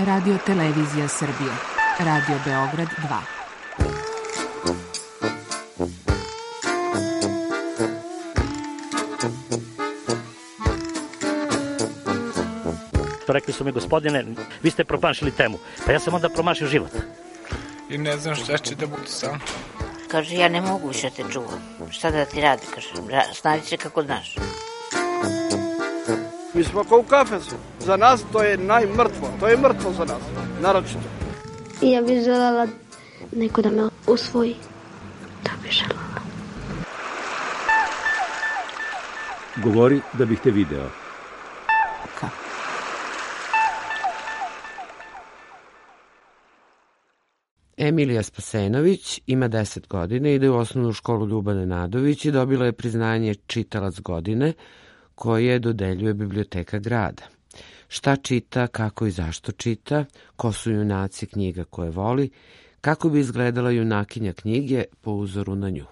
Radio Televizija Srbije. Radio Beograd 2. Rekli su mi, gospodine, vi ste promašili temu. Pa ja sam onda promašio život. I ne znam šta će da bude sam. Kaže, ja ne mogu više te čuvam. Šta da ti radi, kaže, snađi se kako znaš. Mi smo kao u kafesu. Za nas to je najmrtvo. To je mrtvo za nas, naročito. I ja bih želela neko da me usvoji. To bih želela. Govori da bih te video. Emilija Spasenović ima 10 godina, ide u osnovnu školu Ljubane Nadović i dobila je priznanje Čitalac godine koje dodeljuje Biblioteka grada. Šta čita, kako i zašto čita, ko su junaci knjiga koje voli, kako bi izgledala junakinja knjige po uzoru na nju.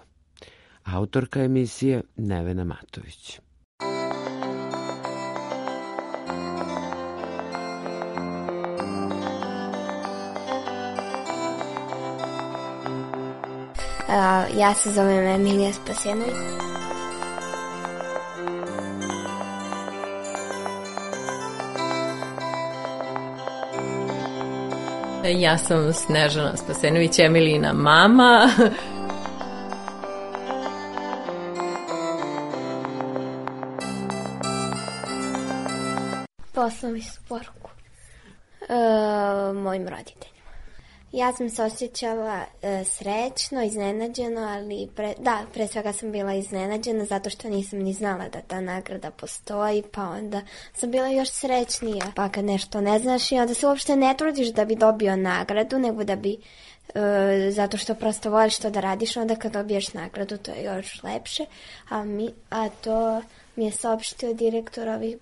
Autorka emisije Nevena Matović. Ja se zovem Emilija Spasenović. Ja sam Snežana Spasenović, Emilijina mama. Poslao mi se poruku mojim roditeljima. Ja sam se osjećala srećno, iznenađeno, ali pre svega sam bila iznenađena zato što nisam ni znala da ta nagrada postoji, pa onda sam bila još srećnija. Pa kad nešto ne znaš i onda se uopšte ne trudiš da bi dobio nagradu, nego da bi, zato što prosto voliš to da radiš, onda kad dobiješ nagradu to je još lepše, a to mi je saopštio direktor ovih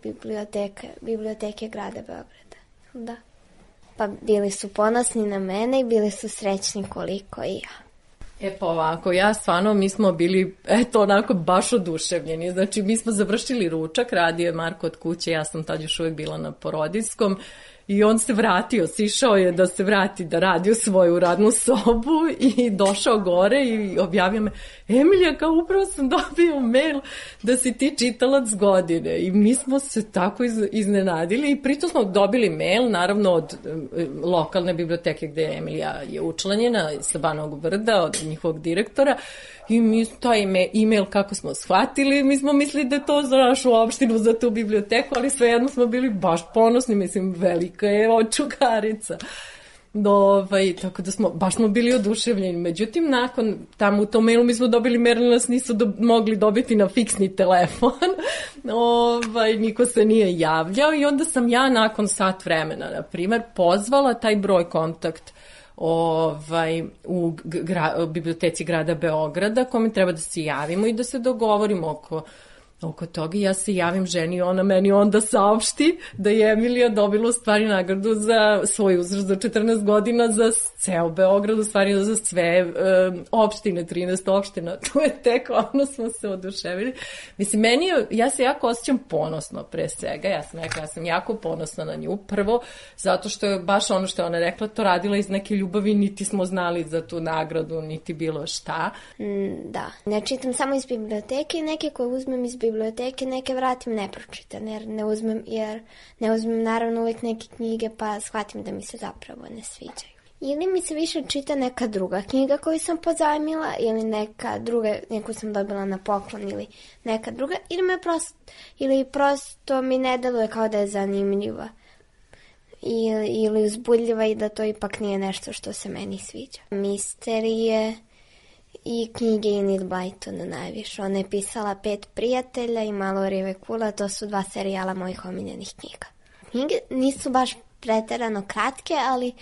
biblioteke grada Beograda. Da. Pa bili su ponosni na mene i bili su srećni koliko i ja. Pa ovako, mi smo bili, onako baš oduševljeni. Znači, mi smo završili ručak, radio je Marko od kuće, ja sam tad još uvijek bila na porodiljskom i on se vratio, sišao je da se vrati da radi u svoju radnu sobu i došao gore i objavio me, Emilija, kao upravo sam dobio mail da si ti čitalac godine i mi smo se tako iznenadili i pritom smo dobili mail, naravno od lokalne biblioteke gde je Emilija je učlanjena sa Banovog Brda, od njihovog direktora i mi taj e-mail kako smo shvatili, mi smo mislili da je to za našu opštinu, za tu biblioteku, ali svejedno smo bili baš ponosni, mislim, velika je očugarica. Tako da baš smo bili oduševljeni. Međutim, nakon tamo u tom mailu mi smo dobili mail, nas nisu mogli dobiti na fiksni telefon. Niko se nije javljao i onda sam ja nakon sat vremena, na primer, pozvala taj broj kontakt u biblioteci grada Beograda kome treba da se javimo i da se dogovorimo oko toga. Ja se javim ženi, ona meni onda saopšti da je Emilija dobila u stvari nagradu za svoj uzrast za 14 godina za ceo Beograd, u stvari za sve opštine, 13 opština. Tu je tek smo se oduševili. Mislim, ja se jako osjećam ponosno pre svega. Ja sam jako ponosna na nju. Prvo, zato što je baš ono što je ona rekla, to radila iz neke ljubavi, niti smo znali za tu nagradu, niti bilo šta. Da, ne čitam samo iz biblioteke, neke koje uzmem iz biblioteke, neke vratim nepročitane, jer ne uzmem naravno uvijek neke knjige pa shvatim da mi se zapravo ne sviđaju. Ili mi se više čita neka druga knjiga koju sam pozajmila ili neku sam dobila na poklon ili neka druga ili prosto mi ne deluje kao da je zanimljiva ili uzbudljiva i da to ipak nije nešto što se meni sviđa. Misterije i knjige Enid Blyton najviše. Ona je pisala 5 prijatelja i Malorijeve kule, to su 2 serijala mojih omiljenih knjiga. Knjige nisu baš preterano kratke, ali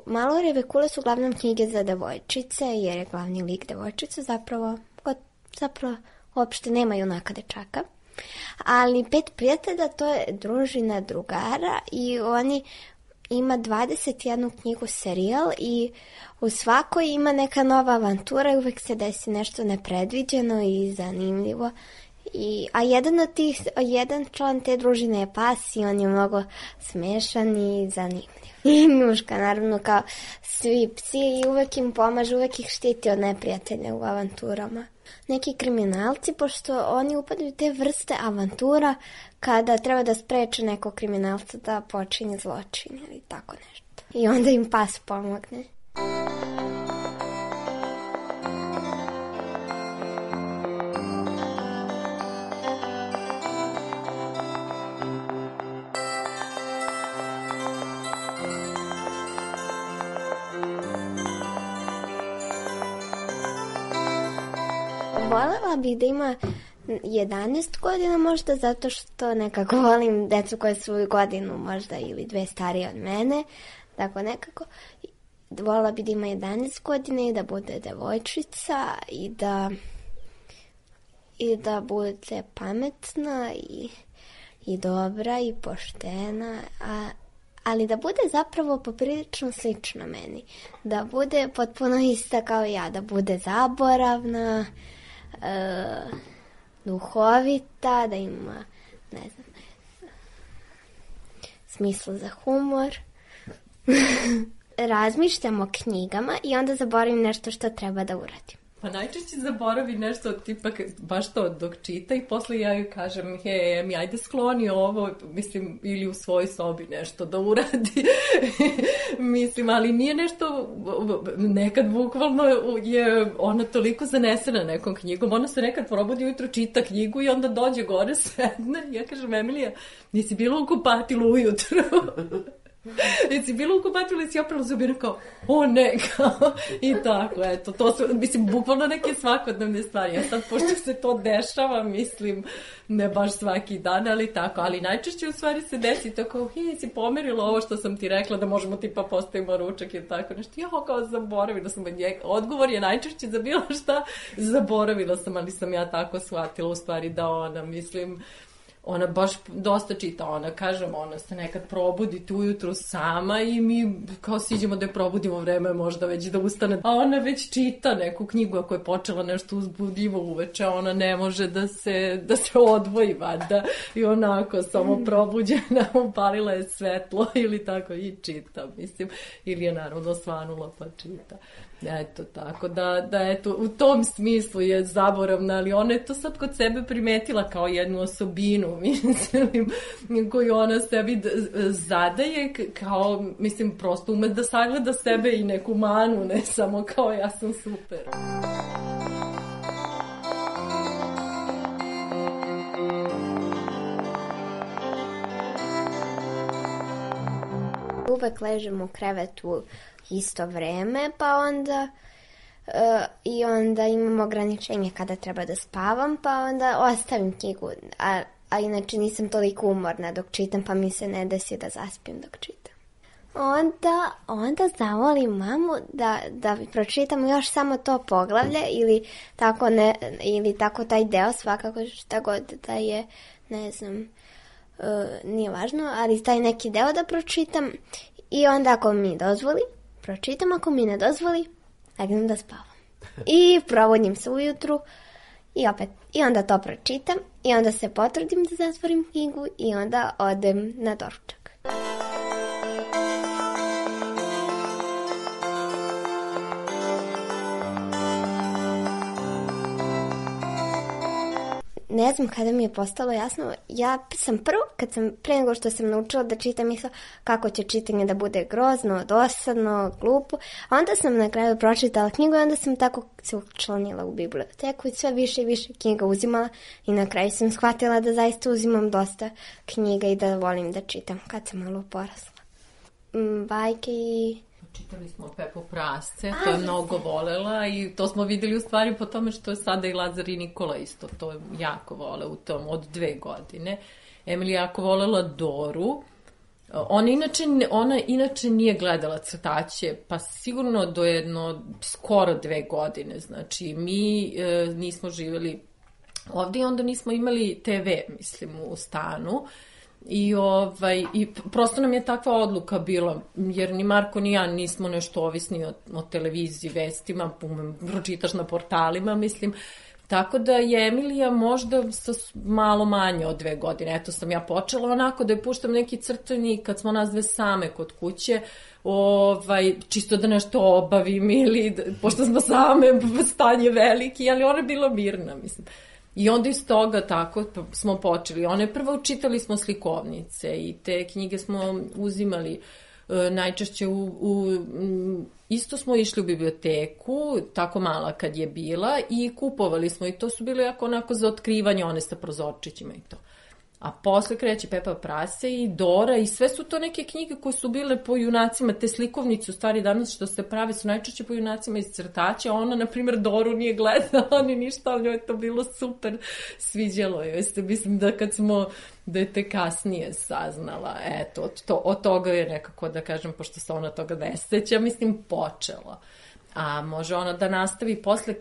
Malorijeve kule su uglavnom knjige za devojčice, jer je glavni lik devojčice zapravo uopšte nema junaka dečaka. Ali 5 prijatelja, to je družina drugara i oni ima 21 knjigu serijal i u svakoj ima neka nova avantura i uvek se desi nešto nepredviđeno i zanimljivo A jedan član te družine je pas i on je mnogo smešan i zanimljiv. I Njuška, naravno, kao svi psi, i uvek im pomaže, uvek ih štiti od neprijatelja u avanturama. Neki kriminalci, pošto oni upadaju te vrste avantura kada treba da spreče nekog kriminalca da počinje zločin ili tako nešto. I onda im pas pomogne. Volela bih da ima 11 godina možda, zato što nekako volim decu koje su godinu možda ili 2 starije od mene. Tako nekako. Volela bih da ima 11 godina i da bude devojčica i da bude pametna i dobra i poštena, ali da bude zapravo poprilično slična meni. Da bude potpuno ista kao ja, da bude zaboravna, duhovita, da ima, ne znam, smisla za humor. Razmišljam o knjigama i onda zaboravim nešto što treba da uradim. Pa najčešće zaboravi nešto tipa baš to dok čita i posle ja joj kažem mi ajde skloni ovo, mislim, ili u svojoj sobi nešto da uradi. Mislim, ali nije nešto, nekad bukvalno je ona toliko zanesena nekom knjigom, ona se nekad probudi ujutro, čita knjigu i onda dođe gore, sedne i ja kažem, Emilija, nisi bila u kupatilu ujutro? Jesi bila u kupatilu i si oprala zubina kao, o ne, kao, i tako, eto, to su, mislim, bukvalno neke svakodnevne stvari. Ja sad, pošto se to dešava, mislim, ne baš svaki dan, ali tako, ali najčešće u stvari se desi to kao, si pomerila ovo što sam ti rekla da možemo tipa postavimo ručak i tako nešto. Ja kao zaboravila sam, odgovor je najčešće za bilo šta, zaboravila sam, ali sam ja tako shvatila u stvari da ona, mislim, ona baš dosta čita, ona, kažem, ona se nekad probudi tu ujutru sama i mi kao siđemo da je probudimo vreme možda već da ustane. A ona već čita neku knjigu, ako je počela nešto uzbudljivo uveče, ona ne može da se odvoji valjda i onako samo probuđena, upalila je svetlo ili tako i čita, mislim, ili je naravno svanula pa čita. Eto, tako da eto, u tom smislu je zaboravna, ali ona je to sad kod sebe primetila kao jednu osobinu, mislim, koju ona sebi zadaje, kao, mislim, prosto ume da sagleda sebe i neku manu, ne samo kao ja sam super. Uvek ležem u krevetu isto vreme, pa onda i onda imam ograničenje kada treba da spavam, pa onda ostavim knjigu, a inače nisam toliko umorna dok čitam, pa mi se ne desi da zaspim dok čitam. Onda zamolim mamu da pročitam još samo to poglavlje ili tako taj deo, svakako šta god da je, ne znam, nije važno, ali taj neki deo da pročitam i onda ako mi dozvoli, pročitam, ako mi ne dozvoli, legnem da spavam. I probudim se ujutru i onda to pročitam i onda se potrudim da zatvorim knjigu i onda odem na doručak. Ne znam kada mi je postalo jasno, ja sam prvo, pre nego što sam naučila da čitam, mislila kako će čitanje da bude grozno, dosadno, glupo, a onda sam na kraju pročitala knjigu i onda sam tako se učlanila u biblioteku i sve više i više knjiga uzimala i na kraju sam shvatila da zaista uzimam dosta knjiga i da volim da čitam kad sam malo porasla. Bajke i... Čitali smo Pepu Prasce, to je mnogo volela i to smo videli u stvari po tome što je sada i Lazar i Nikola isto, to je jako vole u tom od 2 godine. Emilija jako volela Doru. Ona inače nije gledala crtaće, pa sigurno do skoro 2 godine. Znači, mi nismo živjeli ovdje i onda nismo imali TV, mislim, u stanu. I prosto nam je takva odluka bila, jer ni Marko ni ja nismo nešto ovisni o televiziji, vestima, pročitaš na portalima, mislim, Tako da je Emilija možda malo manje od 2 godine. Eto sam ja počela onako da je puštam neki crtani kad smo nas dve same kod kuće, čisto da nešto obavim ili pošto smo same, stan je veliki, ali ona je bila mirna, mislim. I onda iz toga tako smo počeli. One prvo čitali smo slikovnice i te knjige smo uzimali najčešće isto smo išli u biblioteku, tako mala kad je bila, i kupovali smo, i to su bile onako za otkrivanje, one sa prozorčićima i to. A posle kreće Pepa Prase i Dora i sve su to neke knjige koje su bile po junacima, te slikovnice u stvari danas što se prave su najčešće po junacima iz crtaća. Ona, na primjer, Doru nije gledala ni ništa, ali njoj je to bilo super, sviđalo joj se. Mislim da kad smo dete kasnije saznala, eto, od toga je nekako, da kažem, pošto se ona toga ne seća, mislim, počela. A može ona da nastavi posle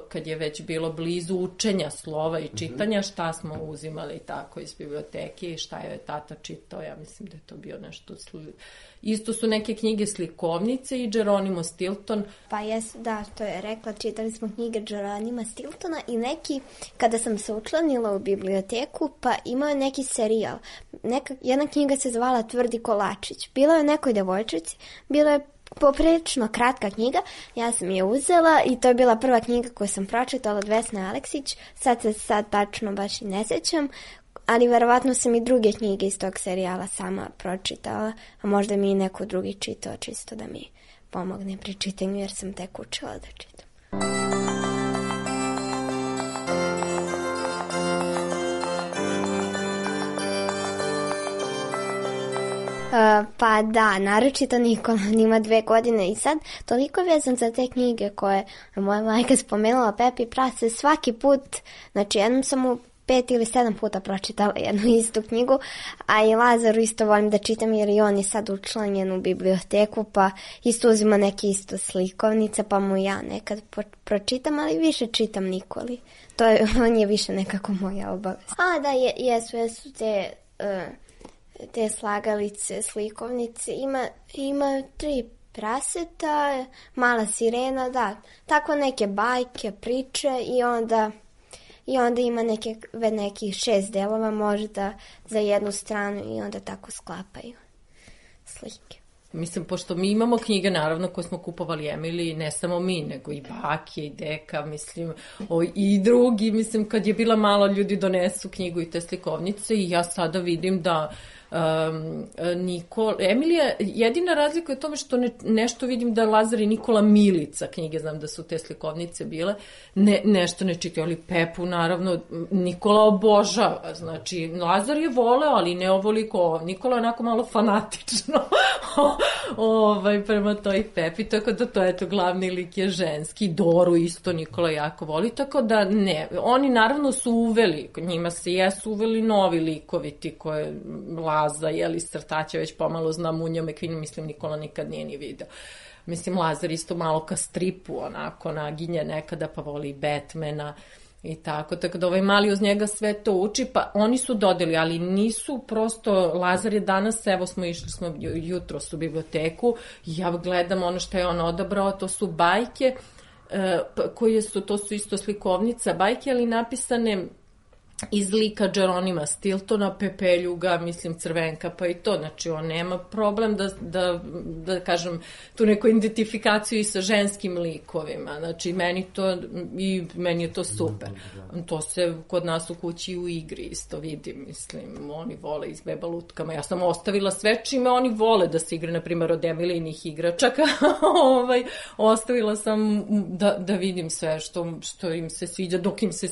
kad je već bilo blizu učenja slova i čitanja, šta smo uzimali tako iz biblioteke i šta je tata čitao, ja mislim da je to bio nešto isto su neke knjige slikovnice i Geronimo Stilton. Pa jesu, da, to je rekla, čitali smo knjige Geronima Stiltona i neki, kada sam se učlanila u biblioteku, pa imao je neki serijal. Jedna knjiga se zvala Tvrdi kolačić. Bila je o nekoj devojčici, bila je poprilično kratka knjiga, ja sam je uzela i to je bila prva knjiga koju sam pročitala od Vesne Aleksić, sad tačno baš i ne sećam, ali verovatno sam i druge knjige iz tog serijala sama pročitala, a možda mi i neko drugi čitao čisto da mi pomogne pri čitanju jer sam tek učila da čitam. Pa da, naročito Nikola, on ima 2 godine i sad toliko je vezan za te knjige koje moja majka spomenula, Pepi Prase, svaki put, znači jednom sam mu 5 ili 7 puta pročitala jednu istu knjigu, a i Lazaru isto volim da čitam jer i on je sad učlanjen u biblioteku, pa isto uzima neke isto slikovnice, pa mu ja nekad pročitam, ali više čitam Nikoli. On je više nekako moja obaveza. A da, jesu te slagalice, slikovnice, ima 3 praseta, mala sirena, da, tako neke bajke, priče i onda ima nekih 6 delova možda za jednu stranu i onda tako sklapaju slike. Mislim, pošto mi imamo knjige, naravno, koje smo kupovali Emiliji, ne samo mi, nego i bake i deka, mislim, i drugi, mislim, kad je bila malo, ljudi donesu knjigu i te slikovnice i ja sada vidim da Emilija, jedina razlika je u tome što nešto vidim da Lazar i Nikola Milica knjige, znam da su te slikovnice bile, nešto ne čitaju, ali Pepu naravno Nikola obožava, znači Lazar je voleo, ali ne ovoliko, Nikola je onako malo fanatično prema toj Pepi, tako da to je to glavni lik je ženski, Doru isto Nikola jako voli, tako da ne, oni naravno su uveli, njima se jesu uveli novi likovi ti koje Laza, jeli, crtaća, već pomalo zna Munja Mekvin, mislim Nikola nikad nije ni video. Mislim, Lazar isto malo ka stripu, onako, naginje nekada, pa voli Batmana i tako da mali uz njega sve to uči, pa oni su dodeli, ali nisu prosto, Lazar je danas, evo smo jutros u biblioteku, ja gledam ono što je on odabrao, to su bajke, to su isto slikovnica, bajke, ali napisane iz lika Geronima Stiltona, Pepeljuga, mislim Crvenka, pa i to, znači on nema problem da kažem tu neku identifikaciju i sa ženskim likovima, znači meni je to super. To se kod nas u kući u igri isto vidim, mislim, oni vole izbeba lutkama, ja sam ostavila sve čime oni vole da se igre, na primjer od Emilijnih igračaka, ostavila sam da vidim sve što im se sviđa, dok im se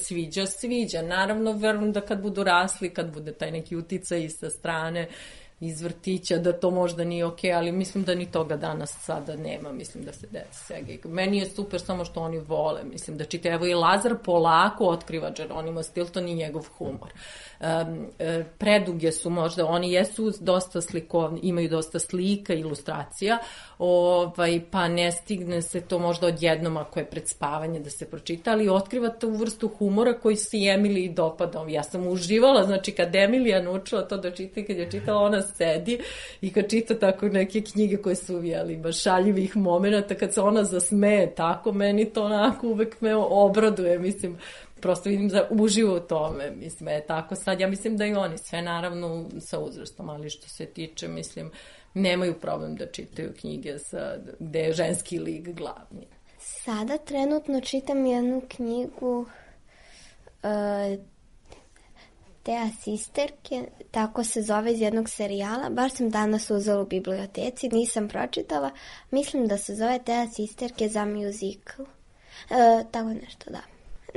sviđa, naravno verujem da kad budu rasli, kad bude taj neki uticaj sa strane iz vrtića, da to možda nije okej, ali mislim da ni toga danas sada nema, mislim da se deca. Meni je super samo što oni vole, mislim da čite, evo i Lazar polako otkriva Geronimo Stilton i njegov humor. Preduge su možda, oni jesu dosta slikovni, imaju dosta slika, ilustracija, pa ne stigne se to možda odjednom ako je pred spavanje da se pročita, ali otkriva tu vrstu humora koji se Emiliji dopada. Ja sam uživala, znači kad Emilija naučila to da čita, kad je čitala, ona sedi i kad čita tako neke knjige koje su baš šaljivih momenata, kad se ona zasmeje tako, meni to onako uvek me obraduje, mislim, prosto vidim da uživo u tome, mislim, tako sad, ja mislim da i oni sve naravno sa uzrastom, ali što se tiče, mislim, nemaju problem da čitaju knjige gde je ženski lik glavni. Sada trenutno čitam jednu knjigu Tea Sisterke, tako se zove, iz jednog serijala. Baš sam danas uzela u biblioteci, nisam pročitala. Mislim da se zove Tea Sisterke za musical. Tako nešto, da.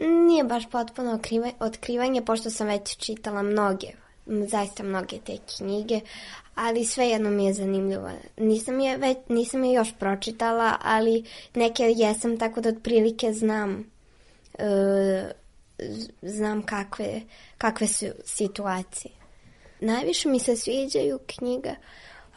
Nije baš potpuno otkrivanje, pošto sam već čitala zaista mnoge te knjige, ali svejedno mi je zanimljivo. Nisam je još pročitala, ali neke jesam, tako da otprilike znam kakve su situacije. Najviše mi se sviđaju knjiga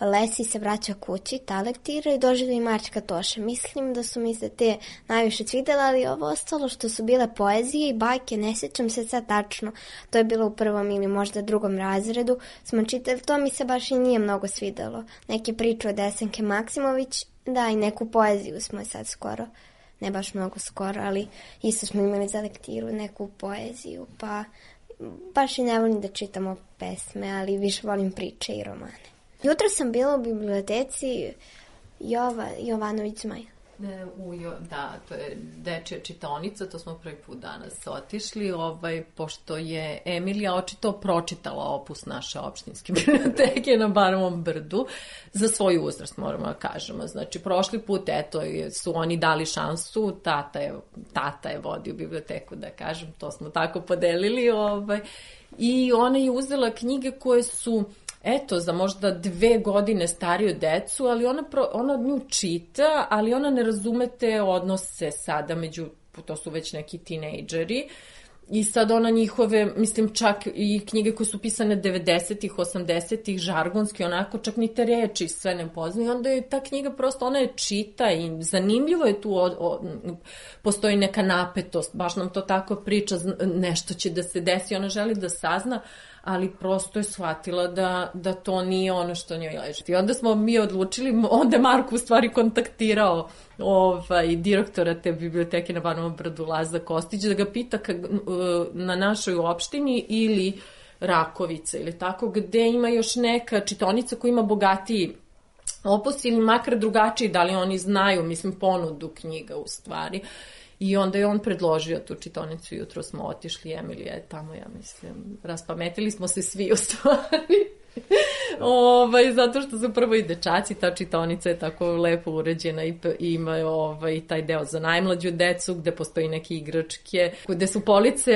Lesi se vraća kući, ta lektira, i Doživljaj Mačka Toše. Mislim da su mi se te najviše svidjela, ali ovo ostalo što su bile poezije i bajke, ne sjećam se sad tačno. To je bilo u 1. ili možda 2. razredu. Smo čitali, to mi se baš i nije mnogo svidjelo. Neke priče od Desanke Maksimović, da, i neku poeziju smo sad skoro, ne baš mnogo skoro, ali isto smo imali za lektiru neku poeziju, pa baš i ne volim da čitamo pesme, ali više volim priče i romane. Jutro sam bila u biblioteci Jovanović Zmaj. Da, to je dečija čitaonica, to smo prvi put danas otišli, pošto je Emilija očito pročitala opus naše opštinske biblioteke na Banovom Brdu, za svoj uzrast, moramo da kažemo. Znači, prošli put, su oni dali šansu, tata je vodio biblioteku, da kažem, to smo tako podelili, i ona je uzela knjige koje su za možda 2 godine stariju decu, ali ona nju čita, ali ona ne razume te odnose sada to su već neki tinejdžeri, i sad ona njihove, mislim, čak i knjige koje su pisane 90-ih, 80-ih, žargonski, onako, čak ni te reči sve ne poznaju, i onda je ta knjiga prosto, ona je čita i zanimljivo je tu, postoji neka napetost, baš nam to tako priča, nešto će da se desi, ona želi da sazna, ali prosto je shvatila da to nije ono što njoj leži. I onda smo mi odlučili, onda je Marko u stvari kontaktirao direktora te biblioteke na Banovom Brdu, Laza Kostić, da ga pita na našoj opštini ili Rakovica ili tako, gde ima još neka čitaonica koja ima bogatiji opus ili makar drugačiji, da li oni znaju, mislim, ponudu knjiga u stvari. I onda je on predložio tu čitaonicu, jutro smo otišli, Emilija je tamo, ja mislim, raspametili smo se svi u stvari. Zato što su prvo i dečaci, ta čitaonica je tako lepo uređena i ima i taj deo za najmlađu decu, gde postoji neke igračke, gde su police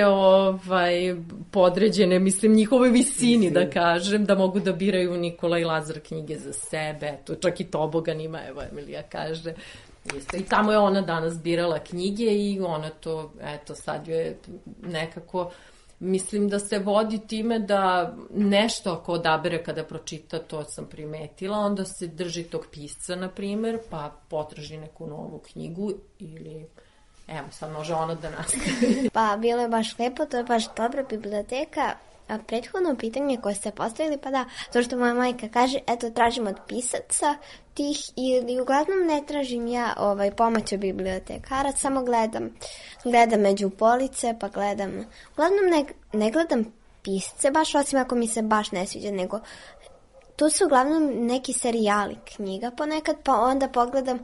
podređene, mislim, njihovoj visini, da kažem, da mogu da biraju Nikola i Lazar knjige za sebe, čak i tobogan ima, evo, Emilija kaže. Isto. I tamo je ona danas birala knjige i ona to, sad je nekako, mislim da se vodi time da nešto ako odabere kada pročita, to sam primetila, onda se drži tog pisca, na primer, pa potraži neku novu knjigu ili, sad može ona da nastavi. Pa bilo je baš lepo, to je baš dobra biblioteka. A prethodno pitanje koje ste postavili, pa da, to što moja majka kaže, tražim od pisaca tih, ili uglavnom ne tražim ja pomoć od bibliotekara, samo gledam među police, pa gledam, uglavnom ne gledam pisce, baš osim ako mi se baš ne sviđa, nego tu su uglavnom neki serijali knjiga ponekad, pa onda pogledam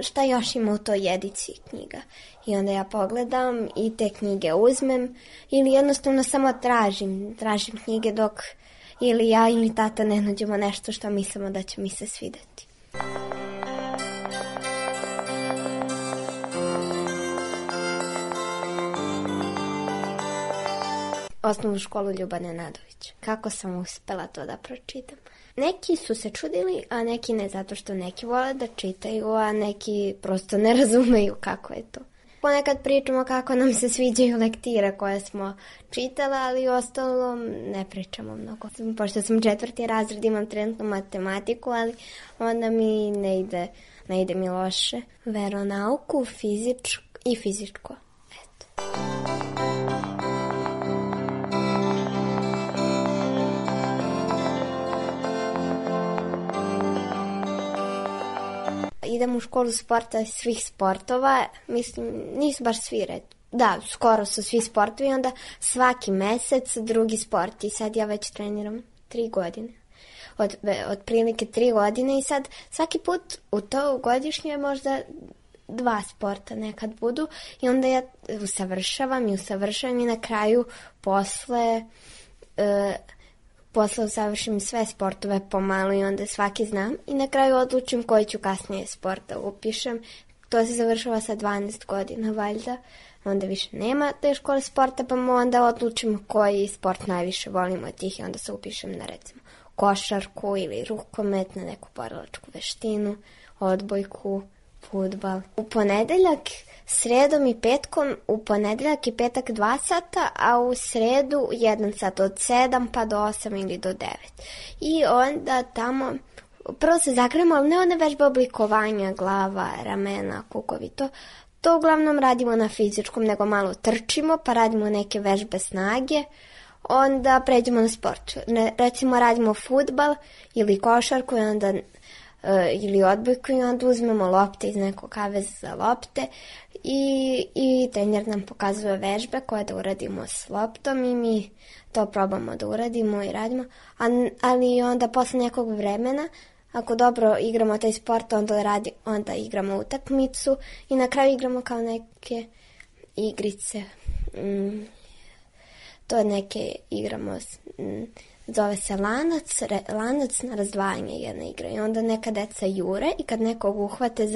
šta još ima u toj ediciji knjiga. I onda ja pogledam i te knjige uzmem ili jednostavno samo tražim knjige dok ili ja ili tata ne nađemo nešto što mislimo da će mi se svidjeti. Osnovnu školu Ljubane Nadović. Kako sam uspela to da pročitam? Neki su se čudili, a neki ne, zato što neki vole da čitaju, a neki prosto ne razumeju kako je to. Ponekad pričamo kako nam se sviđaju lektire koje smo čitala, ali ostalo ne pričamo mnogo. Pošto sam 4. razred, imam trenutno matematiku, ali onda mi ne ide mi loše. Veronauku, fizičko. Eto. idem u školu sporta svih sportova, mislim, nisu baš svi da, skoro su svi sportovi, onda svaki mesec drugi sport i sad ja već treniram 3 godine. Otprilike 3 godine i sad svaki put u to godišnje možda 2 sporta nekad budu i onda ja usavršavam i na kraju posle usavršim sve sportove pomalo i onda svaki znam i na kraju odlučim koji ću kasnije sporta upišem. To se završava sa 12 godina valjda, onda više nema te škole sporta pa onda odlučim koji sport najviše volim od tih i onda se upišem na recimo košarku ili rukomet, na neku borilačku veštinu, odbojku, fudbal. U ponedeljak, sredom i petkom, u ponedeljak i petak 2 sata, a u sredu 1 sat od 7 pa do 8 ili do 9. I onda tamo, prvo se zagremo, ali ne one vežbe oblikovanja, glava, ramena, kukovi, to uglavnom radimo na fizičkom, nego malo trčimo, pa radimo neke vežbe snage, onda pređemo na sport. Recimo radimo fudbal ili košarku ili odbojku i onda uzmemo lopte iz nekog kaveza za lopte i trener nam pokazuje vežbe koje da uradimo s loptom i mi to probamo da uradimo i radimo. Ali onda posle nekog vremena, ako dobro igramo taj sport, onda igramo utakmicu i na kraju igramo kao neke igrice. To neke igramo, zove se lanac na razdvajanje jedna igra i onda neka deca jure i kad nekog uhvate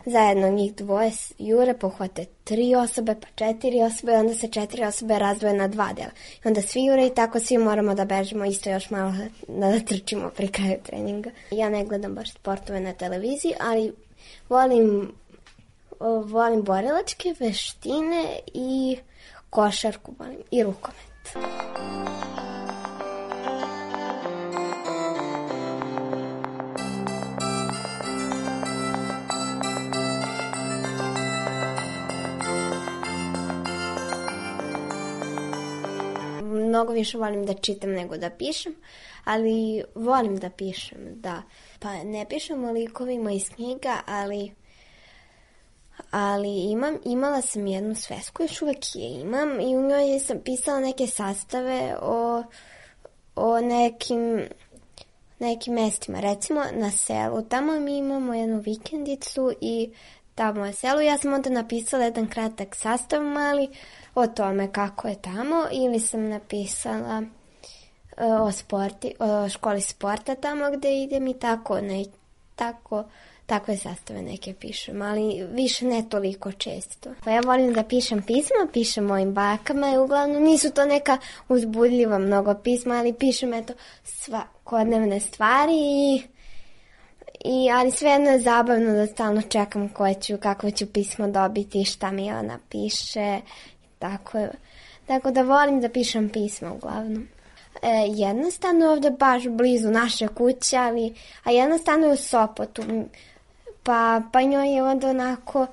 zajedno njih dvoje jure, pohvate 3 osobe pa 4 osobe i onda se 4 osobe razdvoje na 2 dela. I onda svi jure i tako svi moramo da bežimo isto još malo da trčimo pri kraju treninga. Ja ne gledam baš sportove na televiziji, ali volim borilačke veštine i košarku volim i rukomet. Mnogo više volim da čitam nego da pišem, ali volim da pišem, da. Pa ne pišem o likovima iz knjiga, ali imala sam jednu svesku, još uvek je imam i u njoj sam pisala neke sastave o nekim mestima. Recimo na selu, tamo mi imamo jednu vikendicu i tamo je selo. Ja sam onda napisala jedan kratak sastav mali o tome kako je tamo ili sam napisala o školi sporta tamo gde idem i takve sastave neke pišem, ali više ne toliko često. Pa ja volim da pišem pisma, pišem mojim bakama i uglavnom nisu to neka uzbudljiva mnogo pisma, ali pišem svakodnevne stvari ali svejedno je zabavno da stalno čekam kakvo ću pismo dobiti, šta mi ona piše. Tako da volim da pišem pisma uglavnom. Jedna stanuje ovde baš blizu naše kuće, a jedna stanuje u Sopotu. Pa njoj je onda onako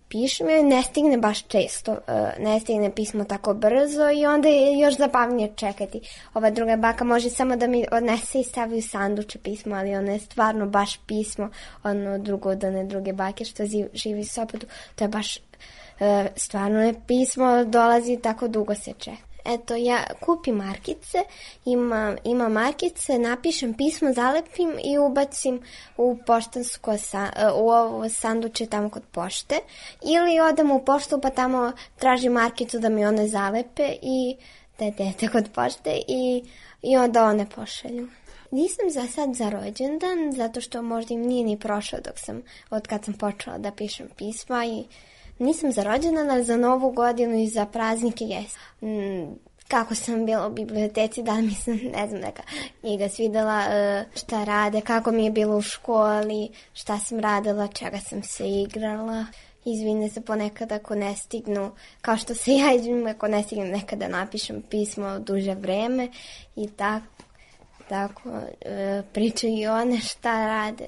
pišem i ne stigne baš često, ne stigne pismo tako brzo i onda je još zabavnije čekati. Ova druga baka može samo da mi odnese i stavi u sanduče pismo, ali ono je stvarno baš pismo, ono drugo od one druge bake što živi u Sopotu, to je baš stvarno je pismo, dolazi tako dugo se čeka. Eto, ja kupim markice, ima markice, napišem pismo, zalepim i ubacim u poštansko, u ovo sanduče tamo kod pošte. Ili odem u poštu pa tamo tražim markicu da mi one zalepe i dete kod pošte i onda one pošalju. Nisam za sad za rođendan, zato što možda im nije ni prošao od kad sam počela da pišem pisma i nisam za rođendan, ali za Novu godinu i za praznike jesam. Kako sam bila u biblioteci, da mi se, ne znam, neka knjiga svidela, šta rade, kako mi je bilo u školi, šta sam radila, čega sam se igrala. Izvine se ponekad ako ne stignu, kao što se ja izvinim ako ne stignem nekada napišem pismo duže vreme i tako pričaju i one šta rade.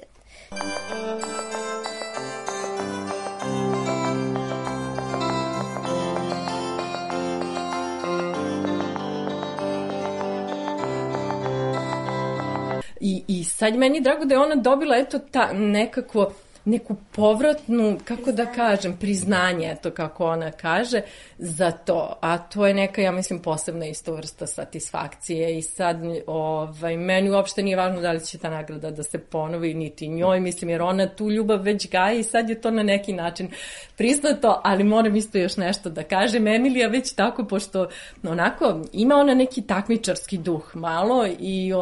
I sad meni je drago da je ona dobila eto nekako neku povratnu, kako da kažem, priznanje, eto kako ona kaže, za to. A to je neka, ja mislim, posebna isto vrsta satisfakcije i sad meni uopšte nije važno da li će ta nagrada da se ponovi, niti njoj, mislim, jer ona tu ljubav već gaji i sad je to na neki način priznato, ali moram isto još nešto da kažem. Emilija već tako, pošto onako ima ona neki takmičarski duh malo i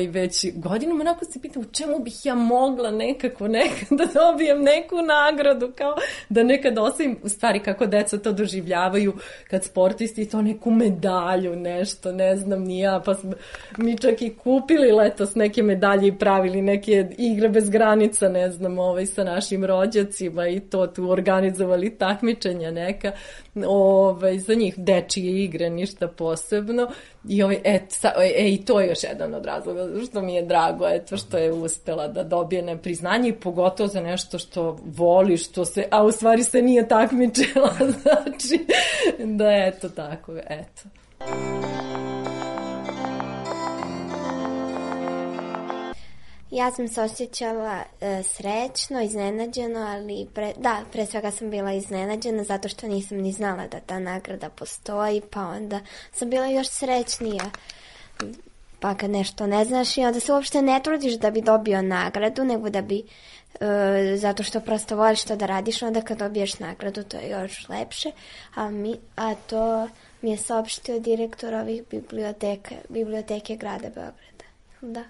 već godinama onako se pita u čemu bih ja mogla nekako da dobijem neku nagradu, kao da nekad osim, u stvari kako deca to doživljavaju kad sportisti to neku medalju, nešto, ne znam ni ja, pa smo mi čak i kupili letos neke medalje i pravili neke igre bez granica, ne znam, sa našim rođacima i to tu organizovali takmičenja neka, za njih dečije igre, ništa posebno. I to je još jedan od razloga što mi je drago, što je uspela da dobije nepriznanje i pogotovo za nešto što voli, a u stvari se nije takmičila, znači da eto tako, eto. Ja sam se osjećala srećno, iznenađeno, ali pre svega sam bila iznenađena zato što nisam ni znala da ta nagrada postoji, pa onda sam bila još srećnija. Pa kad nešto ne znaš i onda se uopšte ne trudiš da bi dobio nagradu, nego da bi, zato što prosto voliš to da radiš, onda kad dobiješ nagradu to je još lepše, a to mi je saopštio direktor ovih biblioteke grada Beograda. Da.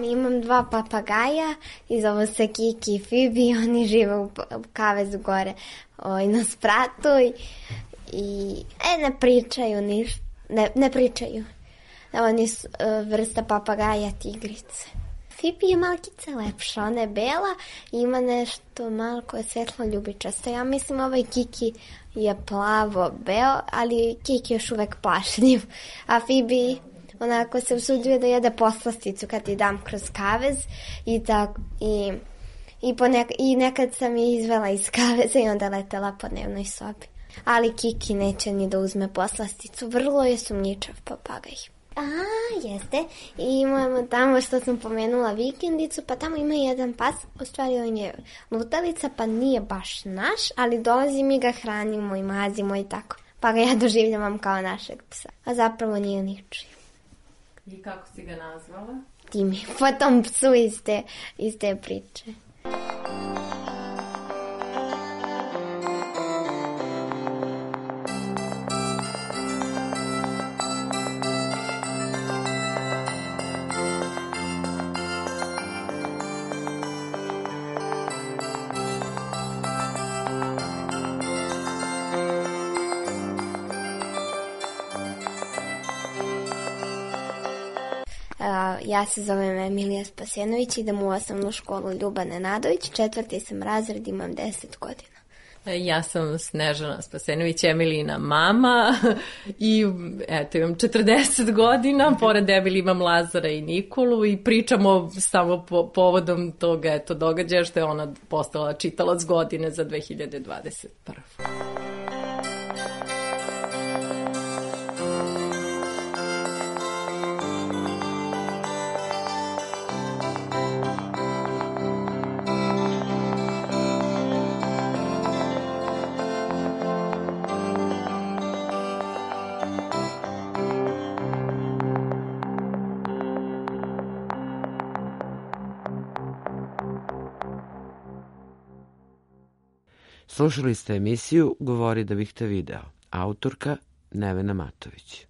Imam 2 papagaja i zove se Kiki i Fibi, oni žive u kavezu gore na spratu i ne pričaju ništa, ne pričaju. Oni su vrsta papagaja tigrice. Fibi je malkice lepša, ona je bela i ima nešto malo koje je svetlo ljubičasto. Ja mislim Kiki je plavo-beo, ali Kiki je još uvek plašljiv, a Fibi onako se usuđuje da jede poslasticu kad ti dam kroz kavez i nekad sam je izvela iz kaveza i onda letela po dnevnoj sobi. Ali Kiki neće ni da uzme poslasticu, vrlo je sumnjičav papagaj. Jeste. I imamo tamo što sam pomenula vikendicu, pa tamo ima jedan pas, u stvari on je lutalica, pa nije baš naš, ali dolazim i ga hranimo i mazimo i tako. Pa ga ja doživljavam kao našeg psa, a zapravo nije ničiji. I kako si ga nazvala? Timi, po tom psu iz te priče. Ja se zovem Emilija Spasenović, idem u osnovnu školu Ljuba Nenadović, 4. sam razred, imam 10 godina. Ja sam Snežana Spasenović, Emilijina mama i eto imam 40 godina, pored Emilije imam Lazara i Nikolu i pričamo samo povodom tog događaja što je ona postala čitalac godine za 2021. Slušali ste emisiju Govori da bih te video. Autorka Nevena Matović.